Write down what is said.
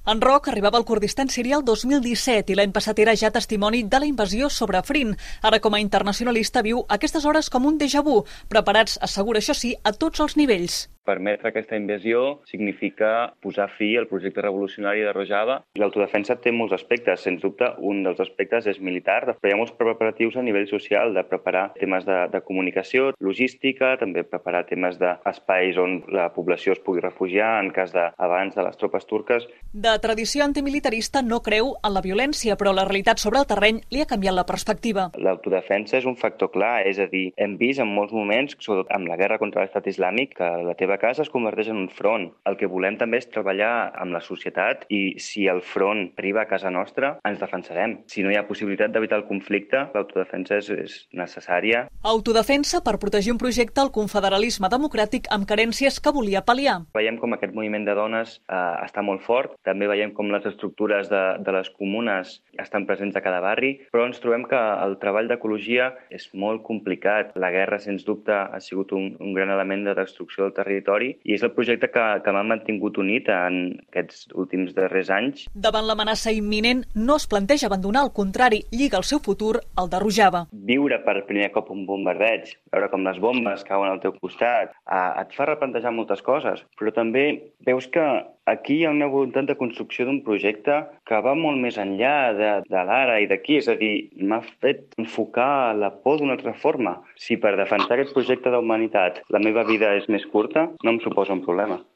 En Roc arribava al Kurdistan sirià el 2017 i l'any passat era ja testimoni de la invasió sobre Afrin. Ara, com a internacionalista, viu aquestes hores com un déjà vu, preparats, assegura això sí, a tots els nivells. Permetre aquesta invasió significa posar fi al projecte revolucionari de Rojava. L'autodefensa té molts aspectes. Sens dubte, un dels aspectes és militar. Després hi ha molts preparatius a nivell social, de preparar temes de comunicació, logística, també preparar temes d'espais on la població es pugui refugiar en cas d'abans de les tropes turques. De tradició antimilitarista no creu en la violència, però la realitat sobre el terreny li ha canviat la perspectiva. L'autodefensa és un factor clar, és a dir, hem vist en molts moments, sobretot amb la guerra contra l'Estat Islàmic, que la teva casa es converteix en un front. El que volem també és treballar amb la societat i si el front arriba a casa nostra, ens defensarem. Si no hi ha possibilitat d'evitar el conflicte, l'autodefensa és necessària. Autodefensa per protegir un projecte al confederalisme democràtic amb carències que volia pal·liar. Veiem com aquest moviment de dones està molt fort, també veiem com les estructures de les comunes estan presents a cada barri, però ens trobem que el treball d'ecologia és molt complicat. La guerra, sens dubte, ha sigut un gran element de destrucció del territori i és el projecte que m'ha mantingut unit en aquests últims darrers anys. Davant l'amenaça imminent, no es planteja abandonar, al contrari, lliga el seu futur al de Rojava. Viure per primer cop un bombardeig, veure com les bombes cauen al teu costat, et fa replantejar moltes coses, però també veus que aquí hi ha una voluntat de construcció d'un projecte que va molt més enllà de l'ara i d'aquí, és a dir, m'ha fet enfocar la por d'una altra forma. Si per defensar aquest projecte d'humanitat la meva vida és més curta, no em suposa un problema.